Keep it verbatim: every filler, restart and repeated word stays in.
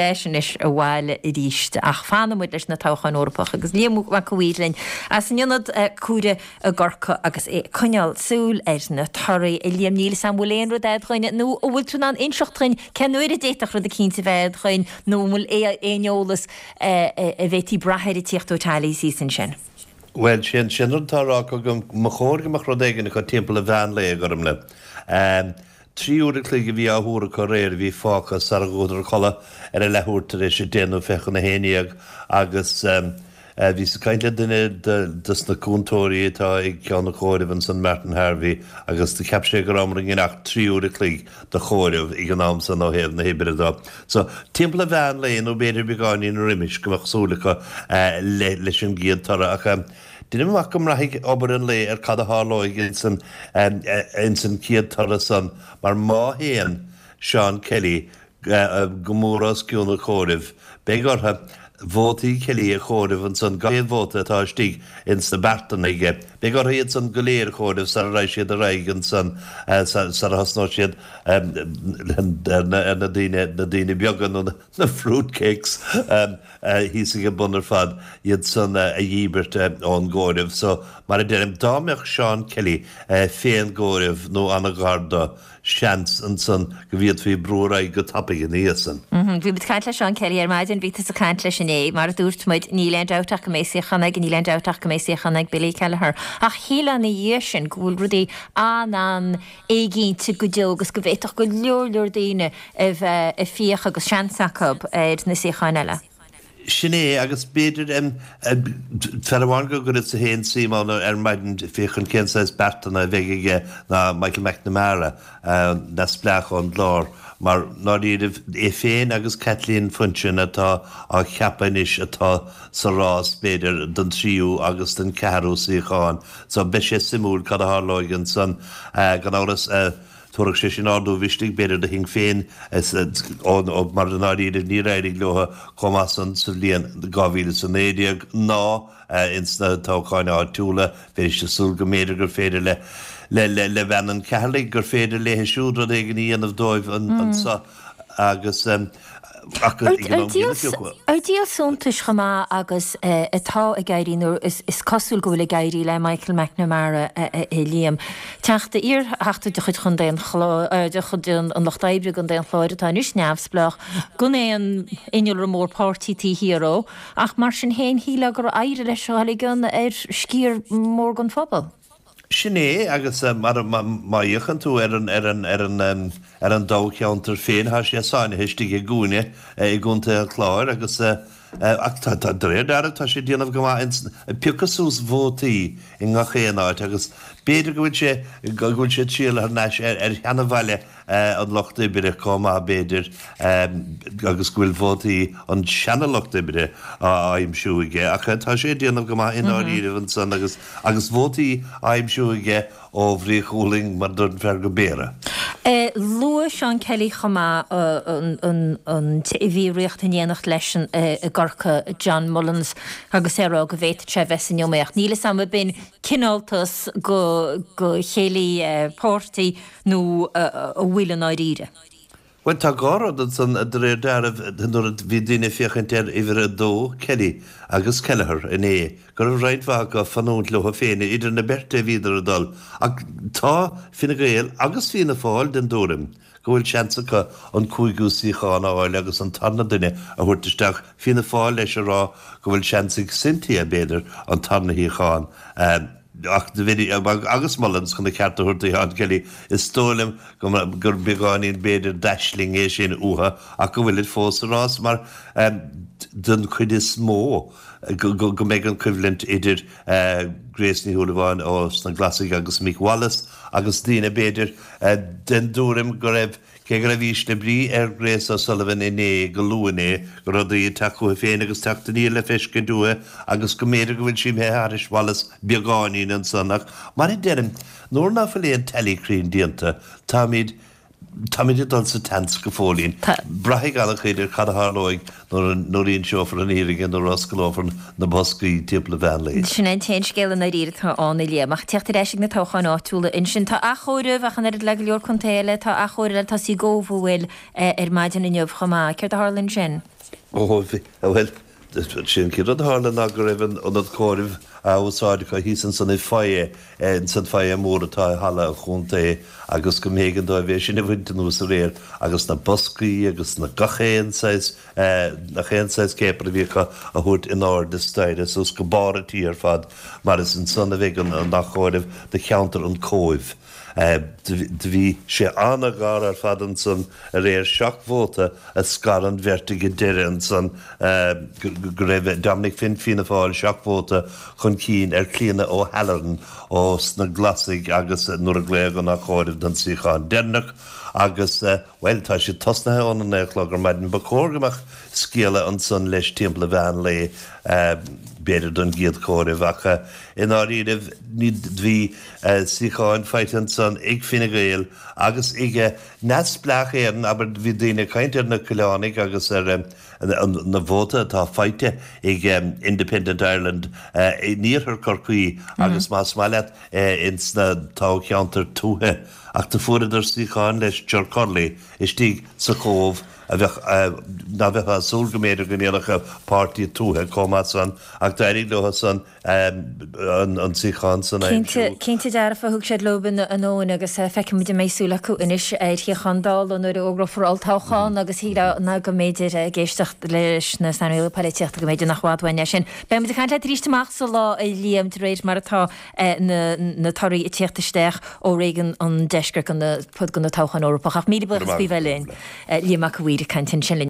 Ais anois abhaile arís ach fanfaidh muid leis na toghcháin Eorpach agus Liam Mac a' Mhaoir linn as an ionad comhairimh i gCorcaigh agus é ag coinneáil súil ar na torthaí. A Liam, níl 'fhios a'm an bhfuil aon rud a'd dhuinn nó an bhfuil tú in ann inseacht dhuinn cén uair a d'fhéadfadh rud eicínt a bheith a'd dhuinn nó an bhfuil aon eolas a bhféadfaí brath air ag tíocht ó tallies thíos ansin? Bhuel, sin sin rud atá á rá acu go mba chóir go mbeadh rud éigin acu timpeall an mheán lae, a Ghormlaith. Trí uair a chloig a bhí á thuar acu aréir a bhí fágtha sara gcuadar a chodladh ar a leathuair tar éis a deich nó fiche chun a haon dhéag agus bhíos ag caint le duine dos na cúntóirí atá ag ceann an chomhairimh ansan, Martin Harvey, agus do cheap sé go rabhamar i ngan ach trí uair a chloig do chomhaireamh ag an am san ó thaobh na hoibre do. So, timpeall an mheán lae nó b'fhéidir beagáinín roimis go mbeadh súil acu leis an gcéad toradh ach Deinim amach go mbraithfidh obair an lae ar cad a tharlóidh ins an ins an chéad toradh san, mar má théann Seán Kelly go mór os cionn an chomhairimh, beidh orthu vótaí Kelly a chomhaireamh ansan, gach aon vóta atá istigh ins na beartanna aige, beidh orthu iad san go léir a chomhaireamh sara raghaidh siad ar aghaidh ansan, sara thosnóidh siad ar na daoine, na daoine beaga nó na fruit cakes. Thíos ag an bun ar fad, iad san a dhíbirt ón gcomhaireamh. So, mar a deirim, dá mbeadh Seán Kelly fén gcomhaireamh nó an-ghar do, seans ansan go bhféadfaí brú ar aghaidh go tapaidh ina dhiaidh san. Bhí muid ag caint le Seán Kelly ar maidin, bhí tusa ag caint leis inné. Mar a dúirt muid, níl aon dabht ach go mbeidh suíochán aige, níl aon dabht ach go mbeidh suíochán ag Billy Kelleher. Ach shílfeá ina dhiaidh sin go bhfuil rudaí an-an-éiginnte go deo agus go bhféadfadh go leor leor daoine a bheith ag fiach agus seans acu ar na suíocháin eile. Sin é, agus b'fhéidir, fear amháin go gcuireas-sa féin suim ann ar maidin féachaint cén saghas beartanna a bheidh aige ná Michael McNamara, neamhspleách ón gClár, mar ndáiríribh, é féin agus Kathleen Funchion atá á cheapadh anois atá sa rás, b'fhéidir, don tríú agus don cheathrú suíochán. So beidh sé suimiúil cad a tharlóidh ansan, gan amhras. Thabharfadh sé sin ardú mhisnigh, b'fhéidir, do Shinn Féin, mar i ndáiríre níor éirigh leo chomh maith san sa bhliain dhá mhíle is a naoi déag ná ins na toghcháin áitiúla. Bheidís ag súil go mb'fhéidir gur féidir le le bean an Cheatharlaigh, gur féidir léithe siúd rud éigin a dhéanamh dóibh anso agus. Ar díol suntais chomh maith agus atá ag éirí, nó is cosúil go bhfuil ag éirí le Michael McNamara, a Liam, teachta, iar-theachta de chuid Chontae an Chláir, de chuid an Lucht Oibre i gContae an Chláir atá anois neamhspleách, gan aon innealra mór páirtí taobh thiar dhó, ach mar sin féin shílfeá gur éirigh leis a dhul i gcion ar sciar mór den phobal. Sin é, agus mar má fhéachann tú ar an, ar an, ar an, ar an dtoghcheantar féin, tá sé sáinnithe istigh i gcúinne i gContae an Chláir agus, ach tá, tá, de réir dealraimh, tá sé ag déanamh go maith ins, ag piocadh suas vótaí i ngach aon áit agus b'fhéidir go bhfuil sé, go bhfuil sé ag triall thar n-ais ar, ar sheana-bhaile an Lucht Oibre chomh maith, b'fhéidir, agus go bhfuil vótaí an seana-Lucht Oibre á aimsiú aige. Ach tá sé ag déanamh go maith i ndáiríribh ansan agus agus vótaí á aimsiú aige ó Bhraoch Uallaing, mar a dúirt an fear, go Béarra. Luaigh Seán Kelly chomh maith an an té a bhí ag ritheacht in éineacht leis i gCorcaigh, John Mullins, agus é ag rá go bhféadfadh sé a bheith san iomaíocht. Níl 'fhios a'm ab in cineáltas go go chéilí páirtí nó an bhfuil i ndáiríre. Bhuel, tá dhá rud ansan, de réir dealraimh, nuair a bhí daoine ag féachaint ar uimhir a dó, Kelly, agus Kelleher inné, go raibh roinnt mhaith acu ag fanúint leo féin, idir na beirte a bhíodar ag dul. Ach tá Fine Gael agus Fianna Fáil den dtuairim go bhfuil seans acu an cúigiú suíochán a fháil agus an tarna duine a thabhairt isteach, Fianna Fáil leis ag rá go bhfuil seans ag Cynthia, b'fhéidir, an tarna shuíochán a. Ach agus Mullins chun a cheart a thabhairt do Sheán Kelly, is dóigh liom go gur beagáinín b'fhéidir d'aisling é sin uathu ach go bhfuilid fós sa rás mar den chuid is mó go mbeidh an choimhlint idir Grace Ní Shúilleabháin ó sna Glasaigh agus Mick Wallace agus daoine b'fhéidir den dtuairim go raibh Cé go raibh ísle brí ar Grace O'Sullivan inné, go luath inné, go raibh rudaí ag teacht chuici féin agus teacht aniar le feiscint uaithi agus go mb'fhéidir go bhfuil sí imithe thairis Wallace beagáinín ansan ach mar a deirim, nuair ná fuil aon tally cruinn déanta, táimid Táimid ag dul sa tseans go fóillín. Braithfidh an-chuid ar cad a tharlóidh nuair a inseofar an fhírinne, nuair a osclófar na boscaí timpeall an mheán lae. Sin é an t-aon scéal i ndáiríre atá ann, a Liam. Ach teacht ar ais ag na toghcháin áitiúla ansin, tá athchomhaireamh ach an oiread le go leor contae eile, tá athchomhaireamh le tosaí i gCóbh an bhfuil ar maidin inniu chomh maith. Céard a tharla ansin? Ó, bhuel, Sé an chéad rud a tharla ná go raibh an ionad comhairimh á úsáid acu thíos ansan i foyer, ins an foyer mór atá i halla an chontae agus go mb'éigean dóibh é sin a bhaint anuas aréir agus na boscaí agus na gach aon saghas, gach aon saghas céapair a bhí acu a thabhairt in airde staighre suas go barr an tí ar fad mar is ansan a bheidh an athchomhaireamh do cheantar an Chóibh. Do bhí sé ana-ghar ar fad ansan aréir, seacht vóta a scar an bheirt ag an deireadh ansan, go raibh Dominic Finn, Fianna Fáil, seacht vóta chun cinn ar Clíona O'Halloran ó sna Glasaigh agus nuair a glaodh an athchomhaireamh don suíochán deireanach agus, bhuel, tá siad tosnaithe óna naoi a chlog ar maidin. Ba chóir go mbeadh scéala ansan leis timpeall an mheán lae, b'fhéidir don gcéad chomhaireamh, ach i ndáiríribh ní bhí suíocháin faighte ansan ag Fine Gael agus ag Neamhspleách Éireann, abair, bhí daoine ag caint ar na Coileánaigh agus ar na vóta atá faighte ag Independent Ireland in iarthar Chorcaí agus más maith leat ins na toghcheantair tuaithe, ach do fuaireadar suíocháin leis Ger Curley istigh sa Chóbh. a bheadh, ná bheifeá ag súil go mb'fhéidir go ndéanfadh páirtí tuaithe chomh maith san ach d'éirigh leo san an suíochán san a aimsiú. Cinnte, cinnte dearfa, thug siad leo anonn agus feicfimid an mbeidh súil acu anois ar shuíochán Dála nuair a fhógrófar olltoghchán agus shílfeá ná go mb'fhéidir ag éisteacht leis na saineolaithe polaitíochta go mb'fhéidir nach bhfad uainn é sin. Beidh muid ag caint leat arís amach sa lá a Liam de réir mar atá na torthaí ag tíocht isteach ó réigiún an deiscirt go na, go na toghcháin Eorpach ach míle buíochas faoi bheith linn. Liam Mac a' Mhaoir ag caint ansin linn.